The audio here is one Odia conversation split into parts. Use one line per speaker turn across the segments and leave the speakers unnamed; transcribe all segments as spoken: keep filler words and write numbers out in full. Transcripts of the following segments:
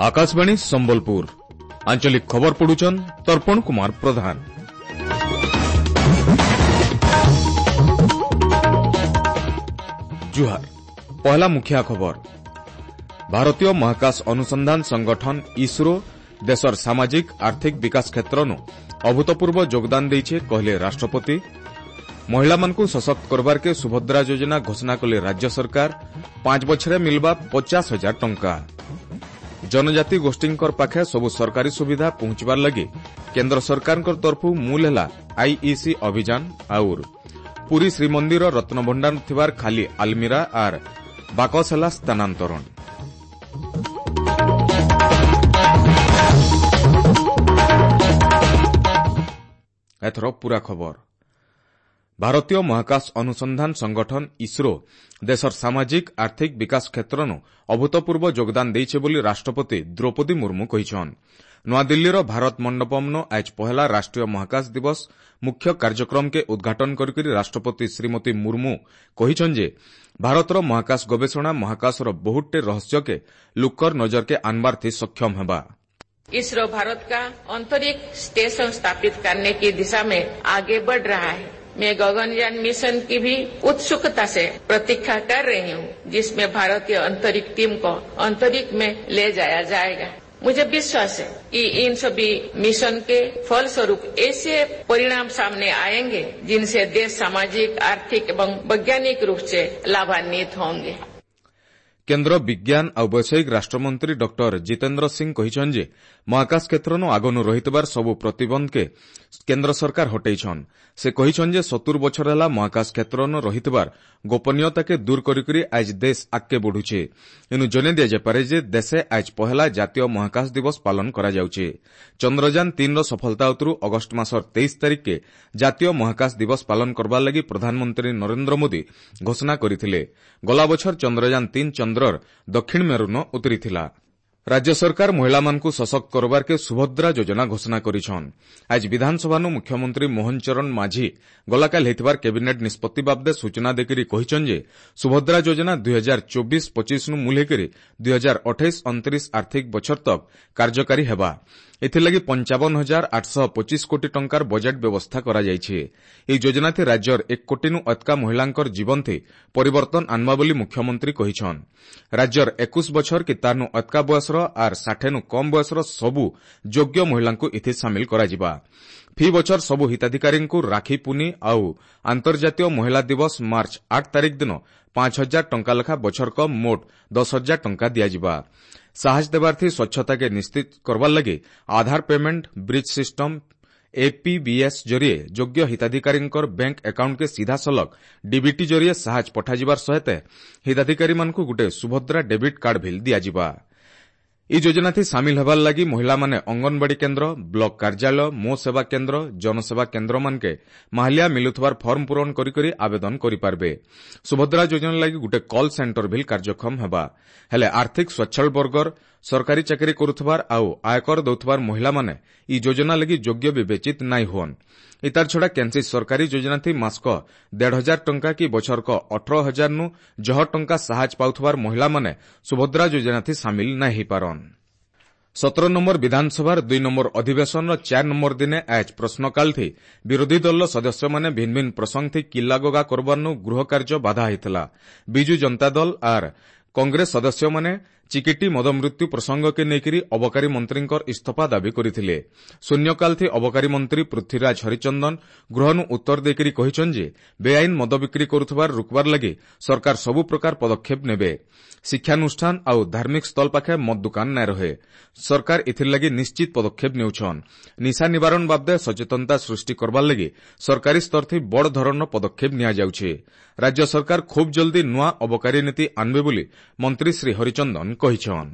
ଆକାଶବାଣୀ ସମ୍ବଲପୁର ଆଞ୍ଚଳିକ ଖବର ପଢୁଛନ୍ ତର୍ପଣ କୁମାର ପ୍ରଧାନ। ଜୁହାର। ପହଲା ମୁଖିଆ ଖବର। ଭାରତୀୟ ମହାକାଶ ଅନୁସନ୍ଧାନ ସଂଗଠନ ଇସ୍ରୋ ଦେଶର ସାମାଜିକ ଆର୍ଥିକ ବିକାଶ କ୍ଷେତ୍ରନୁ ଅଭୂତପୂର୍ବ ଯୋଗଦାନ ଦେଇଛେ କହିଲେ ରାଷ୍ଟ୍ରପତି। ମହିଳାମାନଙ୍କୁ ସଶକ୍ତ କରବାର୍କେ ସୁଭଦ୍ରା ଯୋଜନା ଘୋଷଣା କଲେ ରାଜ୍ୟ ସରକାର। ପାଞ୍ଚ ବଛରେ ମିଲବା ପଚାଶ ହଜାର ଟଙ୍କା। ଜନଜାତି ଗୋଷ୍ଠୀଙ୍କର ପାଖେ ସବୁ ସରକାରୀ ସୁବିଧା ପହଞ୍ଚିବାର ଲାଗି କେନ୍ଦ୍ର ସରକାରଙ୍କ ତରଫରୁ ମୂଲ ହେଲା ଆଇଇସି ଅଭିଯାନ। ଆଉର ପୁରୀ ଶ୍ରୀମନ୍ଦିର ରତ୍ନଭଣ୍ଡାର ଥିବାର ଖାଲି ଆଲମିରା ଆର୍ ବାକସ ହେଲା ସ୍ଥାନାନ୍ତରଣ। ଏଥର ପୂରା ଖବର। ଭାରତୀୟ ମହାକାଶ ଅନୁସନ୍ଧାନ ସଂଗଠନ ଇସ୍ରୋ ଦେଶର ସାମାଜିକ ଆର୍ଥିକ ବିକାଶ କ୍ଷେତ୍ରନୁ ଅଭୂତପୂର୍ବ ଯୋଗଦାନ ଦେଇଛେ ବୋଲି ରାଷ୍ଟ୍ରପତି ଦ୍ରୌପଦୀ ମୁର୍ମୁ କହିଛନ୍। ନୂଆଦିଲ୍ଲୀର ଭାରତ ମଣ୍ଡପମ୍ନୁ ଆଜ୍ ପହେଲା ରାଷ୍ଟ୍ରୀୟ ମହାକାଶ ଦିବସ ମୁଖ୍ୟ କାର୍ଯ୍ୟକ୍ରମକେ ଉଦ୍ଘାଟନ କରିକରି ରାଷ୍ଟ୍ରପତି ଶ୍ରୀମତୀ ମୁର୍ମୁ କହିଛନ୍ ଯେ ଭାରତର ମହାକାଶ ଗବେଷଣା ମହାକାଶର ବହୁତଟେ ରହସ୍ୟକେ ଲୁକର ନଜରକେ ଆନବାର୍ଥି ସକ୍ଷମ ହେବା।
इसरो भारत का अंतरिक्ष स्टेशन स्थापित करने की दिशा में आगे बढ़ रहा है। मैं गगनयान मिशन की भी उत्सुकता से प्रतीक्षा कर रही हूँ, जिसमें भारतीय अंतरिक्ष टीम को अंतरिक्ष में ले जाया जाएगा। मुझे विश्वास है कि इन सभी मिशन के फलस्वरूप ऐसे परिणाम सामने आएंगे जिनसे देश सामाजिक, आर्थिक एवं वैज्ञानिक रूप से लाभान्वित होंगे।
କେନ୍ଦ୍ର ବିଜ୍ଞାନ ଆଉ ବୈଷୟିକ ରାଷ୍ଟ୍ରମନ୍ତ୍ରୀ ଡକ୍ଟର ଜିତେନ୍ଦ୍ର ସିଂ କହିଛନ୍ ଯେ ମହାକାଶ କ୍ଷେତ୍ରନୁ ଆଗନୁ ରହିଥିବାର ସବୁ ପ୍ରତିବନ୍ଧକେ କେନ୍ଦ୍ର ସରକାର ହଟେଇଛନ୍। ସେ କହିଛନ୍ ଯେ ସତୁର ବଛର ହେଲା ମହାକାଶ କ୍ଷେତ୍ରନୁ ରହିଥିବାର ଗୋପନୀୟତାକେ ଦୂର କରିକରି ଆଜ୍ ଦେଶ ଆଗକେ ବଢୁଛେ। ଏନୁ ଜଣେଇ ଦିଆଯାଇପାରେ ଯେ ଦେଶେ ଆଜ୍ ପହେଲା ଜାତୀୟ ମହାକାଶ ଦିବସ ପାଳନ କରାଯାଉଛେ। ଚନ୍ଦ୍ରଯାନ ତିନ୍ର ସଫଳତା ଉତରୁ ଅଗଷ୍ଟ ମାସର ତେଇଶ ତାରିଖକେ ଜାତୀୟ ମହାକାଶ ଦିବସ ପାଳନ କରବାର ଲାଗି ପ୍ରଧାନମନ୍ତ୍ରୀ ନରେନ୍ଦ୍ର ମୋଦି ଘୋଷଣା କରିଥିଲେ। ଗଲା ବଛର ଚନ୍ଦ୍ରଯାନ ତିନ୍ ଚନ୍ଦ୍ରର ଦକ୍ଷିଣ ମେରୁନ ଉତରିଥିଲା। ରାଜ୍ୟ ସରକାର ମହିଳାମାନଙ୍କୁ ସଶକ୍ତ କରବାର୍କେ ସୁଭଦ୍ରା ଯୋଜନା ଘୋଷଣା କରିଛନ୍। ଆଜି ବିଧାନସଭାନୁ ମୁଖ୍ୟମନ୍ତ୍ରୀ ମୋହନ ଚରଣ ମାଝୀ ଗଲାକାଲି ହେଇଥିବାର କ୍ୟାବିନେଟ୍ ନିଷ୍ପତ୍ତି ବାବଦେ ସୂଚନା ଦେଇକରି କହିଛନ୍ ଯେ ସୁଭଦ୍ରା ଯୋଜନା ଦୁଇ ହଜାର ଚବିଶ ପଚିଶନୁ ମୂଲ ହେଇକରି ଦୁଇ ହଜାର ଅଠେଇଶ ଅଣତିରିଶ ଆର୍ଥିକ ବଛର ତକ୍ କାର୍ଯ୍ୟକାରୀ ହେବା। ଏଥିଲାଗି ପଞ୍ଚାବନ ହଜାର ଆଠଶହ ପଚିଶ କୋଟି ଟଙ୍କାର ବଜେଟ୍ ବ୍ୟବସ୍ଥା କରାଯାଇଛି। ଏହି ଯୋଜନାଥି ରାଜ୍ୟର ଏକ କୋଟିନୁ ଅତକା ମହିଳାଙ୍କର ଜୀବନଥି ପରିବର୍ତ୍ତନ ଆନବା ବୋଲି ମୁଖ୍ୟମନ୍ତ୍ରୀ କହିଛନ୍। ରାଜ୍ୟର ଏକୋଇଶ ବଛର କି ତାରନୁ ଅତକା ବୟସର ଆର୍ ଷାଠେନୁ କମ୍ ବୟସର ସବୁ ଯୋଗ୍ୟ ମହିଳାଙ୍କୁ ଏଥି ସାମିଲ କରାଯିବା। ଫି ବଛର ସବୁ ହିତାଧିକାରୀଙ୍କୁ ରାକ୍ଷୀ ପୁନି ଆଉ ଆନ୍ତର୍ଜାତୀୟ ମହିଳା ଦିବସ ମାର୍ଚ୍ଚ ଆଠ ତାରିଖ ଦିନ ପାଞ୍ଚ ହଜାର ଟଙ୍କା ଲେଖା ବଛରକ ମୋଟ ଦଶ ହଜାର ଟଙ୍କା ଦିଆଯିବା। ସାହାଯ୍ୟ ଦେବାର୍ଥୀ ସ୍ୱଚ୍ଛତାକେ ନିଶ୍ଚିତ କରବାର ଲାଗି ଆଧାର ପେମେଣ୍ଟ ବ୍ରିଜ୍ ସିଷ୍ଟମ ଏପିବିଏସ୍ ଜରିଏ ଯୋଗ୍ୟ ହିତାଧିକାରୀଙ୍କର ବ୍ୟାଙ୍କ ଆକାଉଣ୍ଟକେ ସିଧାସଳଖ ଡିବିଟି ଜରିଏ ସାହାଯ୍ୟ ପଠାଯିବାର ସହିତ ହିତାଧିକାରୀମାନଙ୍କୁ ଗୋଟିଏ ସୁଭଦ୍ରା ଡେବିଟ୍ କାର୍ଡ ଭିଲ୍ ଦିଆଯିବା। ଏହି ଯୋଜନାଥି ସାମିଲ ହେବାର ଲାଗି ମହିଳାମାନେ ଅଙ୍ଗନବାଡ଼ି କେନ୍ଦ୍ର, ବ୍ଲକ କାର୍ଯ୍ୟାଳୟ, ମୋ ସେବା କେନ୍ଦ୍ର, ଜନସେବା କେନ୍ଦ୍ରମାନକେ ମାହାଲିଆ ମିଲୁଥିବାର ଫର୍ମ ପୂରଣ କରିକରି ଆବେଦନ କରିପାରିବେ। ସୁଭଦ୍ରା ଯୋଜନା ଲାଗି ଗୋଟେ କଲ୍ ସେଣ୍ଟର ଭିଲ୍ କାର୍ଯ୍ୟକ୍ଷମ ହେବା। ହେଲେ ଆର୍ଥିକ ସ୍ୱଚ୍ଛଳ ବର୍ଗର ସରକାରୀ ଚାକିରି କରୁଥିବାର ଆଉ ଆୟକର ଦେଉଥିବାର ମହିଳାମାନେ ଇ ଯୋଜନା ଲାଗି ଯୋଗ୍ୟ ବିବେଚିତ ନାଇଁ ହୁଅନ୍। ଇତାର ଛଡ଼ା କେନ୍ସି ସରକାରୀ ଯୋଜନାଥି ମାସକ ଦେଢ଼ ହଜାର ଟଙ୍କା କି ବଛରକ ଅଠର ହଜାରନୁ ଜହ ଟଙ୍କା ସାହାଯ୍ୟ ପାଉଥିବାର ମହିଳାମାନେ ସୁଭଦ୍ରା ଯୋଜନାଥି ସାମିଲ ନାଇଁ ହେଇପାରନ୍। ସତର ନମ୍ବର ବିଧାନସଭାର ଦୁଇ ନମ୍ବର ଅଧିବେଶନର ଚାର ନମ୍ବର ଦିନେ ଆଜ୍ ପ୍ରଶ୍ନକାଳଥି ବିରୋଧୀ ଦଳର ସଦସ୍ୟମାନେ ଭିନ୍ନ ଭିନ୍ନ ପ୍ରସଙ୍ଗଥି କିଲ୍ଲାଗୋଗା କରବାରନୁ ଗୃହକାର୍ଯ୍ୟ ବାଧା ହେଇଥିଲା। ବିଜୁ ଜନତା ଦଳ ଆର୍ କଂଗ୍ରେସ ସଦସ୍ୟମାନେ ଚିକିଟି ମଦମୃତ୍ୟୁ ପ୍ରସଙ୍ଗକେ ନେଇକରି ଅବକାରୀ ମନ୍ତ୍ରୀଙ୍କର ଇସ୍ତଫା ଦାବି କରିଥିଲେ। ଶୂନ୍ୟକାଳଥି ଅବକାରୀ ମନ୍ତ୍ରୀ ପୃଥ୍ୱୀରାଜ ହରିଚନ୍ଦନ ଗୃହନୁ ଉତ୍ତର ଦେଇକରି କହିଛନ୍ ଯେ ବେଆଇନ ମଦ ବିକ୍ରି କରୁଥିବାର ରୋକବାର ଲାଗି ସରକାର ସବୁ ପ୍ରକାର ପଦକ୍ଷେପ ନେବେ। ଶିକ୍ଷାନୁଷ୍ଠାନ ଆଉ ଧାର୍ମିକ ସ୍ଥଳ ପାଖେ ମଦ ଦୋକାନ ନାଇଁ ରହେ। ସରକାର ଏଥିର୍ଲାଗି ନିଶ୍ଚିତ ପଦକ୍ଷେପ ନେଉଛନ୍। ନିଶା ନିବାରଣ ବାବଦେ ସଚେତନତା ସୃଷ୍ଟି କରବାର ଲାଗି ସରକାରୀ ସ୍ତରଥି ବଡ଼ ଧରଣର ପଦକ୍ଷେପ ନିଆଯାଉଛି। ରାଜ୍ୟ ସରକାର ଖୁବ୍ ଜଲ୍ଦି ନୂଆ ଅବକାରୀ ନୀତି ଆନବେ ବୋଲି ମନ୍ତ୍ରୀ ଶ୍ରୀ ହରିଚନ୍ଦନ କହିଛନ୍।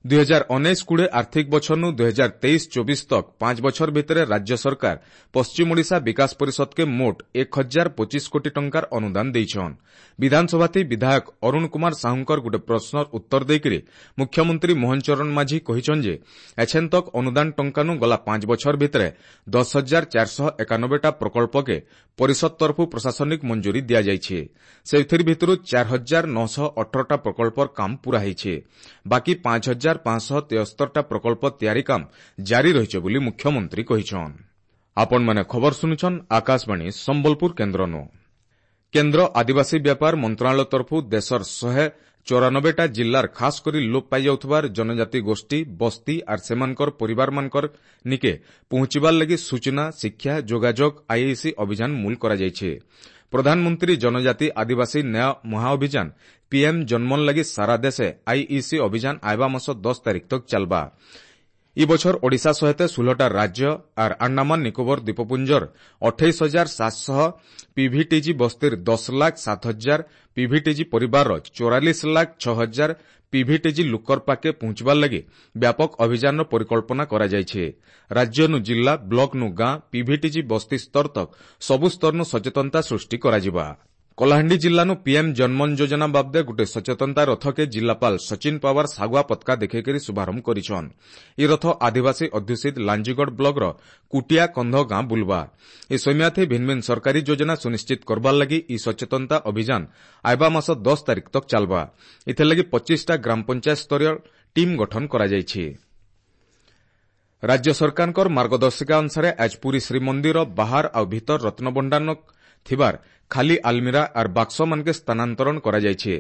ଦୁଇ ହଜାର ଉଣେଇଶ କୋଡ଼ିଏ ଆର୍ଥିକ ବଛରନୁ ଦୁଇ ହଜାର ତେଇଶ ଚବିଶ ତକ୍ ପାଞ୍ଚ ବଛର ଭିତରେ ରାଜ୍ୟ ସରକାର ପଶ୍ଚିମ ଓଡ଼ିଶା ବିକାଶ ପରିଷଦକେ ମୋଟ ଏକ ହଜାର ପଚିଶ କୋଟି ଟଙ୍କାର ଅନୁଦାନ ଦେଇଛନ୍। ବିଧାନସଭାଥି ବିଧାୟକ ଅରୁଣ କୁମାର ସାହୁଙ୍କର ଗୋଟେ ପ୍ରଶ୍ନର ଉତ୍ତର ଦେଇକରି ମୁଖ୍ୟମନ୍ତ୍ରୀ ମୋହନ ଚରଣ ମାଝୀ କହିଛନ୍ ଯେ ଏଛେନ୍ ତକ୍ ଅନୁଦାନ ଟଙ୍କାନୁ ଗଲା ପାଞ୍ଚ ବଛର ଭିତରେ ଦଶ ହଜାର ଚାରିଶହ ଏକାନବେଟା ପ୍ରକଳ୍ପକେ ପରିଷଦ ତରଫୁ ପ୍ରଶାସନିକ ମଞ୍ଜୁରୀ ଦିଆଯାଇଛି। ସେଥିର୍ ଭିତରୁ ଚାର ହଜାର ନଅଶହ ଅଠରଟା ପ୍ରକଳ୍ପର କାମ ପୂରା ହେଇଛି। ବାକି ପାଞ୍ଚ ହଜାର ହଜାର ପାଞ୍ଚଶହ ତେସ୍ତରଟା ପ୍ରକଳ୍ପ ତିଆରି କାମ ଜାରି ରହିଛି ବୋଲି ମୁଖ୍ୟମନ୍ତ୍ରୀ କହିଛନ୍। ଆପଣମାନେ ଖବର ଶୁଣୁଛନ୍ ଆକାଶବାଣୀ ସମ୍ବଲପୁର କେନ୍ଦ୍ରନୁ। କେନ୍ଦ୍ର ଆଦିବାସୀ ବ୍ୟାପାର ମନ୍ତ୍ରଣାଳୟ ତରଫରୁ ଦେଶର ଶହେ ଚଉରାନବେଟା ଜିଲ୍ଲାର ଖାସ କରି ଲୋପ ପାଇଯାଉଥିବାର ଜନଜାତି ଗୋଷ୍ଠୀ, ବସ୍ତି ଆର୍ ସେମାନଙ୍କର ପରିବାରମାନଙ୍କର ନିକେ ପହଞ୍ଚିବାର ଲାଗି ସୂଚନା, ଶିକ୍ଷା, ଯୋଗାଯୋଗ ଆଇଇସି ଅଭିଯାନ ମୂଲ କରାଯାଇଛି। ପ୍ରଧାନମନ୍ତ୍ରୀ ଜନଜାତି ଆଦିବାସୀ ନ୍ୟାୟ ମହାଅଭିଯାନ ପିଏମ୍ ଜନ୍ମନ ଲାଗି ସାରା ଦେଶେ ଆଇଇସି ଅଭିଯାନ ଆଇବା ମାସ ଦଶ ତାରିଖ ତକ ଚାଲବା। ଇ ବଛର ଓଡ଼ିଶା ସହିତ ଷୋହଳଟା ରାଜ୍ୟ ଆର୍ ଆଣ୍ଡାମାନ ନିକୋବର ଦ୍ୱୀପପୁଞ୍ଜର ଅଠେଇଶ ହଜାର ସାତଶହ ପିଭିଟିଜି ବସ୍ତିର ଦଶ ଲାଖ ସାତ ହଜାର ପିଭିଟିଜି ପରିବାରର ଚଉରାଳିଶ ଲାଖ ଛଅ ହଜାର ପିଭିଟିଜି ଲୁକର ପାକେ ପହଞ୍ଚିବାର ଲାଗି ବ୍ୟାପକ ଅଭିଯାନର ପରିକଳ୍ପନା କରାଯାଇଛି। ରାଜ୍ୟନୁ ଜିଲ୍ଲା, ବ୍ଲକନୁ ଗାଁ, ପିଭିଟିଜି ବସ୍ତି ସ୍ତର ତକ ସବୁ ସ୍ତରନୁ ସଚେତନତା ସୃଷ୍ଟି କରାଯିବା। କଳାହାଣ୍ଡି ଜିଲ୍ଲାନୁ ପିଏମ୍ ଜନ୍ମନ ଯୋଜନା ବାବଦେ ଗୋଟେ ସଚେତନତା ରଥକେ ଜିଲ୍ଲାପାଳ ସଚିନ ପାୱାର ଶାଗୁଆ ପତାକା ଦେଖେଇକରି ଶୁଭାରମ୍ଭ କରିଛନ୍। ଇ ରଥ ଆଦିବାସୀ ଅଧ୍ୟୁଷିତ ଲାଞ୍ଜିଗଡ଼ ବ୍ଲକର କୁଟିଆ କନ୍ଧ ଗାଁ ବୁଲବା। ଏ ସୈମ୍ୟାଥି ଭିନ୍ନ ଭିନ୍ନ ସରକାରୀ ଯୋଜନା ସୁନିଶ୍ଚିତ କରବାର ଲାଗି ଇ ସଚେତନତା ଅଭିଯାନ ଆଇବା ମାସ ଦଶ ତାରିଖ ତକ ଚାଲବା। ଏଥିଲାଗି ପଚିଶଟା ଗ୍ରାମ ପଞ୍ଚାୟତ ସ୍ତରୀୟ ଟିମ୍ ଗଠନ କରାଯାଇଛି। ରାଜ୍ୟ ସରକାରଙ୍କର ମାର୍ଗଦର୍ଶିକା ଅନୁସାରେ ଆଜ ପୁରୀ ଶ୍ରୀମନ୍ଦିର ବାହାର ଆଉ ଭିତର ରତ୍ନଭଣ୍ଡାର ଥିବାର ଖାଲି ଆଲମିରା ଆର୍ ବାକ୍ସମାନକେ ସ୍ଥାନାନ୍ତରଣ କରାଯାଇଛି।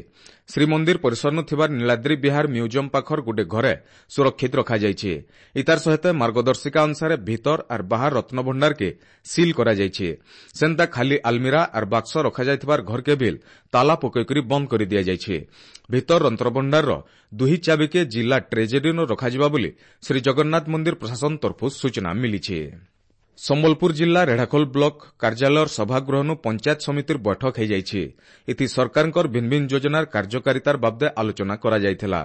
ଶ୍ରୀମନ୍ଦିର ପରିସରନୁ ଥିବାର ନୀଳାଦ୍ରି ବିହାର ମ୍ୟୁଜିୟମ ପାଖର ଗୋଟେ ଘରେ ସୁରକ୍ଷିତ ରଖାଯାଇଛି। ଇତାର ସହିତ ମାର୍ଗଦର୍ଶିକା ଅନୁସାରେ ଭିତର ଆର୍ ବାହାର ରତ୍ନଭଣ୍ଡାରକେ ସିଲ୍ କରାଯାଇଛି। ସେନ୍ତା ଖାଲି ଆଲମିରା ଆର୍ ବାକ୍ସ ରଖାଯାଇଥିବାର ଘରକେ ବିଲ୍ ତାଲା ପକେଇକରି ବନ୍ଦ କରି ଦିଆଯାଇଛି। ଭିତର ରତ୍ନଭଣ୍ଡାରର ଦୁହି ଚାବିକେ ଜିଲ୍ଲା ଟ୍ରେଜେରୀନୁ ରଖାଯିବା ବୋଲି ଶ୍ରୀଜଗନ୍ନାଥ ମନ୍ଦିର ପ୍ରଶାସନ ତରଫରୁ ସୂଚନା ମିଳିଛି। ସମ୍ବଲପୁର ଜିଲ୍ଲା ରେଢ଼ାଖୋଲ ବ୍ଲକ କାର୍ଯ୍ୟାଳୟର ସଭାଗୃହନୁ ପଞ୍ଚାୟତ ସମିତିର ବୈଠକ ହୋଇଯାଇଛି। ଏଥି ସରକାରଙ୍କର ଭିନ୍ନ ଭିନ୍ନ ଯୋଜନାର କାର୍ଯ୍ୟକାରିତାର ବାବଦେ ଆଲୋଚନା କରାଯାଇଥିଲା।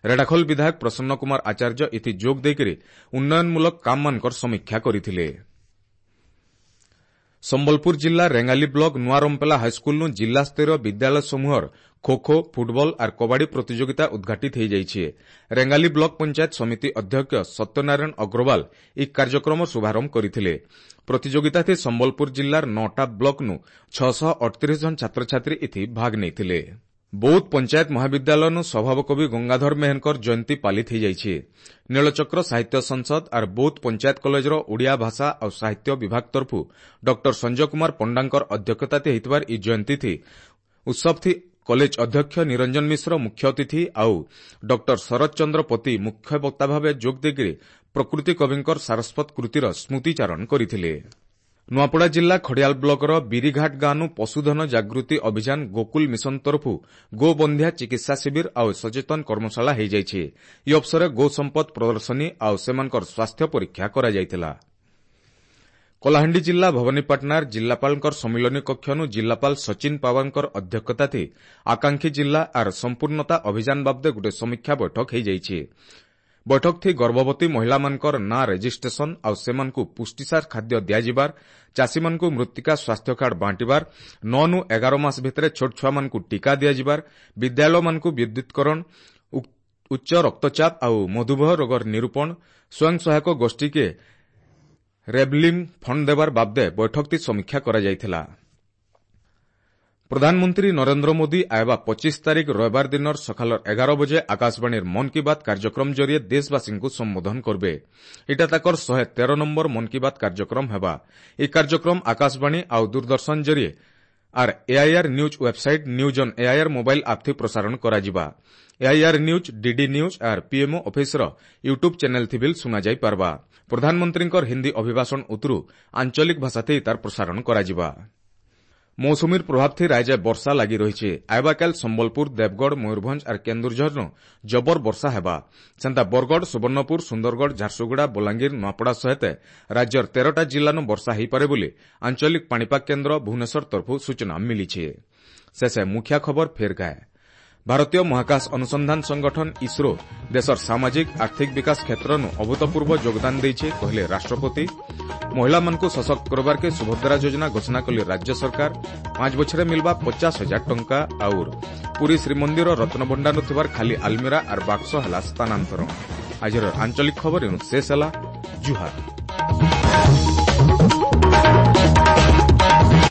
ରେଢ଼ାଖୋଲ ବିଧାୟକ ପ୍ରସନ୍ନ କୁମାର ଆଚାର୍ଯ୍ୟ ଏଥି ଯୋଗ ଦେଇକରି ଉନ୍ନୟନମୂଳକ କାମମାନଙ୍କର ସମୀକ୍ଷା କରିଥିଲେ। ସମ୍ବଲପୁର ଜିଲ୍ଲା ରେଙ୍ଗାଲି ବ୍ଲକ ନୂଆ ରମ୍ପେଲା ହାଇସ୍କୁଲନୁ ଜିଲ୍ଲାସ୍ତରୀୟ ବିଦ୍ୟାଳୟ ସମୂହର ଖୋ ଖୋ, ଫୁଟବଲ ଆର୍ କବାଡି ପ୍ରତିଯୋଗିତା ଉଦ୍ଘାଟିତ ହୋଇଯାଇଛି। ରେଙ୍ଗାଲି ବ୍ଲକ ପଞ୍ଚାୟତ ସମିତି ଅଧ୍ୟକ୍ଷ ସତ୍ୟନାରାୟଣ ଅଗ୍ରୱାଲ ଏହି କାର୍ଯ୍ୟକ୍ରମ ଶୁଭାରମ୍ଭ କରିଥିଲେ। ପ୍ରତିଯୋଗିତାଥି ସମ୍ବଲପୁର ଜିଲ୍ଲାର ନଅଟା ବ୍ଲକନୁ ଛଅଶହ ଅଠତିରିଶ ଜଣ ଛାତ୍ରଛାତ୍ରୀ ଏଥି ଭାଗ ନେଇଥିଲେ। ବୌଦ୍ଧ ପଞ୍ଚାୟତ ମହାବିଦ୍ୟାଳୟନୁ ସ୍ୱଭାବକବି ଗଙ୍ଗାଧର ମେହେରଙ୍କର ଜୟନ୍ତୀ ପାଳିତ ହୋଇଯାଇଛି। ନୀଳଚକ୍ର ସାହିତ୍ୟ ସଂସଦ ଆର୍ ବୌଦ୍ଧ ପଞ୍ଚାୟତ କଲେଜର ଓଡ଼ିଆ ଭାଷା ଆଉ ସାହିତ୍ୟ ବିଭାଗ ତରଫୁ ଡକ୍ଟର ସଞ୍ଜୟ କୁମାର ପଣ୍ଡାଙ୍କର ଅଧ୍ୟକ୍ଷତାରେ ହୋଇଥିବାର ଏହି ଜୟନ୍ତୀ ଉତ୍ସବଥି କଲେଜ ଅଧ୍ୟକ୍ଷ ନିରଞ୍ଜନ ମିଶ୍ର ମୁଖ୍ୟ ଅତିଥି ଆଉ ଡକ୍ଟର ଶରତ ଚନ୍ଦ୍ର ପତି ମୁଖ୍ୟ ବକ୍ତା ଭାବେ ଯୋଗ ଦେଇକରି ପ୍ରକୃତି କବିଙ୍କର ସାରସ୍ୱତ କୃତିର ସ୍ମୃତିଚାରଣ କରିଥିଲେ। ନୂଆପଡ଼ା ଜିଲ୍ଲା ଖଡ଼ିଆଲ ବ୍ଲକର ବିରିଘାଟ ଗାଁନୁ ପଶୁଧନ ଜାଗୃତି ଅଭିଯାନ ଗୋକୁଲ ମିଶନ ତରଫୁ ଗୋବନ୍ଧ୍ୟା ଚିକିତ୍ସା ଶିବିର ଆଉ ସଚେତନ କର୍ମଶାଳା ହୋଇଯାଇଛି। ଏହି ଅବସରରେ ଗୋ ସମ୍ପଦ ପ୍ରଦର୍ଶନୀ ଆଉ ସେମାନଙ୍କର ସ୍ୱାସ୍ଥ୍ୟ ପରୀକ୍ଷା କରାଯାଇଥିଲା। କଳାହାଣ୍ଡି ଜିଲ୍ଲା ଭବାନୀପାଟଣାର ଜିଲ୍ଲାପାଳଙ୍କର ସମ୍ମିଳନୀ କକ୍ଷନୁ ଜିଲ୍ଲାପାଳ ସଚିନ ପାୱାରଙ୍କର ଅଧ୍ୟକ୍ଷତାଥି ଆକାଂକ୍ଷୀ ଜିଲ୍ଲା ଆର୍ ସମ୍ପୂର୍ଣ୍ଣତା ଅଭିଯାନ ବାବଦେ ଗୋଟେ ସମୀକ୍ଷା ବୈଠକ ହୋଇଯାଇଛି। ବୈଠକଥି ଗର୍ଭବତୀ ମହିଳାମାନଙ୍କର ନାଁ ରେଜିଷ୍ଟ୍ରେସନ ଆଉ ସେମାନଙ୍କୁ ପୁଷ୍ଟିସାର ଖାଦ୍ୟ ଦିଆଯିବାର, ଚାଷୀମାନଙ୍କୁ ମୃତ୍ତିକା ସ୍ୱାସ୍ଥ୍ୟ କାର୍ଡ ବାଣ୍ଟିବାର, ନଅନୁ ଏଗାର ମାସ ଭିତରେ ଛୋଟ ଛୁଆମାନଙ୍କୁ ଟିକା ଦିଆଯିବାର, ବିଦ୍ୟାଳୟମାନଙ୍କୁ ବିଦ୍ୟୁତ୍କରଣ, ଉଚ୍ଚ ରକ୍ତଚାପ ଆଉ ମଧୁମେହ ରୋଗର ନିରୂପଣ, ସ୍ୱୟଂ ସହାୟକ ଗୋଷ୍ଠୀକେ ରେଭଲିଂ ଫଣ୍ଡ ଦେବାର ବାବଦେ ବୈଠକଟି ସମୀକ୍ଷା କରାଯାଇଥିଲା। ପ୍ରଧାନମନ୍ତ୍ରୀ ନରେନ୍ଦ୍ର ମୋଦି ଆଇବା ପଚିଶ ତାରିଖ ରବିବାର ଦିନର ସକାଳ ଏଗାର ବଜେ ଆକାଶବାଣୀର ମନ୍ କି ବାତ୍ କାର୍ଯ୍ୟକ୍ରମ ଜରିଏ ଦେଶବାସୀଙ୍କୁ ସମ୍ବୋଧନ କରିବେ। ଏଇଟା ତାଙ୍କର ଶହେ ତେର ନମ୍ବର ମନ୍ କି ବାତ୍ କାର୍ଯ୍ୟକ୍ରମ ହେବା। ଏହି କାର୍ଯ୍ୟକ୍ରମ ଆକାଶବାଣୀ ଆଉ ଦୂରଦର୍ଶନ ଜରିଏ ଆର୍ AIR news website, news on AIR mobile ଆପ୍ଥି ପ୍ରସାରଣ କରାଯିବା। ଏଆଇଆର୍ ନ୍ୟୁଜ୍, ଡିଡି ନ୍ୟୁଜ୍ ଆର୍ ପିଏମ୍ଓ ଅଫିସର ୟୁଟ୍ୟୁବ୍ ଚ୍ୟାନେଲ୍ ଥି ବିଲ୍ ଶୁଣାଯାଇ ପାରବା। ପ୍ରଧାନମନ୍ତ୍ରୀଙ୍କର ହିନ୍ଦୀ ଅଭିଭାଷଣ ଉତରୁ ଆଞ୍ଚଳିକ ଭାଷାଥି ତାର ପ୍ରସାରଣ କରାଯିବା। ମୌସୁମୀର ପ୍ରଭାବଥି ରାଜ୍ୟ ବର୍ଷା ଲାଗି ରହିଛି। ଆଇବାକାଲ ସମ୍ବଲପୁର, ଦେବଗଡ଼, ମୟୂରଭଞ୍ଜ ଆର୍ କେନ୍ଦୁଝରନୁ ଜବର ବର୍ଷା ହେବା। ସେନ୍ତା ବରଗଡ଼, ସୁବର୍ଣ୍ଣପୁର, ସୁନ୍ଦରଗଡ଼, ଝାରସୁଗୁଡ଼ା, ବଲାଙ୍ଗୀର, ନୂଆପଡ଼ା ସହିତ ରାଜ୍ୟର ତେରଟା ଜିଲ୍ଲାନୁ ବର୍ଷା ହୋଇପାରେ ବୋଲି ଆଞ୍ଚଳିକ ପାଣିପାଗ କେନ୍ଦ୍ର ଭୁବନେଶ୍ୱର ତରଫରୁ ସୂଚନା ମିଳିଛି। ଶେଷେ ମୁଖ୍ୟ ଖବର ଫେର ଗାଏ। ଭାରତୀୟ ମହାକାଶ ଅନୁସନ୍ଧାନ ସଂଗଠନ ଇସ୍ରୋ ଦେଶର ସାମାଜିକ ଆର୍ଥିକ ବିକାଶ କ୍ଷେତ୍ରନୁ ଅଭୂତପୂର୍ବ ଯୋଗଦାନ ଦେଇଛି, କହିଲେ ରାଷ୍ଟ୍ରପତି। ମହିଳାମାନଙ୍କୁ ସଶକ୍ତ କରବାର୍କେ ସୁଭଦ୍ରା ଯୋଜନା ଘୋଷଣା କଲେ ରାଜ୍ୟ ସରକାର। ପାଞ୍ଚ ବଛରେ ମିଲବା ପଚାଶ ହଜାର ଟଙ୍କା। ଆଉର ପୁରୀ ଶ୍ରୀମନ୍ଦିର ରତ୍ନଭଣ୍ଡାର ଥିବାର ଖାଲି ଆଲମିରା ଆର୍ ବାକ୍ସ ହେଲା ସ୍ଥାନାନ୍ତରଣ। ଆଜିର ଆଞ୍ଚଳିକ ଖବର ଏଣୁ ଶେଷ ହେଲା। ଜୁହାର।